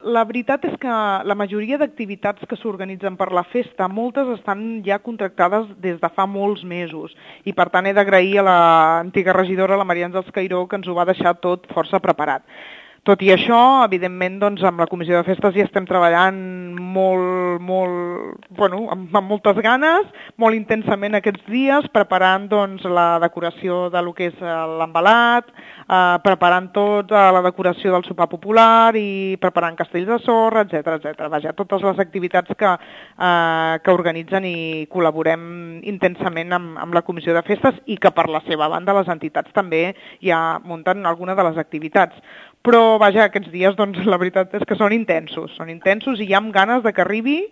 La veritat és que la majoria d'activitats que s'organitzen per la festa, moltes estan ja contractades des de fa molts mesos i per tant he d'agrair a l'antiga regidora, la Maria Àngels Cairó, que ens ho va deixar tot força preparat. Tot i això, evidentment, doncs, amb la Comissió de Festes hi estem treballant amb moltes ganes, molt intensament aquests dies, preparant doncs, la decoració de lo que és l'embalat, preparant la decoració del sopar popular i preparant castells de sorra, etc. Vaja, totes les activitats que organitzen i col·laborem intensament amb la Comissió de Festes i que per la seva banda les entitats també ja munten alguna de les activitats. Però, vaja, aquests dies, doncs, la veritat és que són intensos i ja amb ganes de que arribi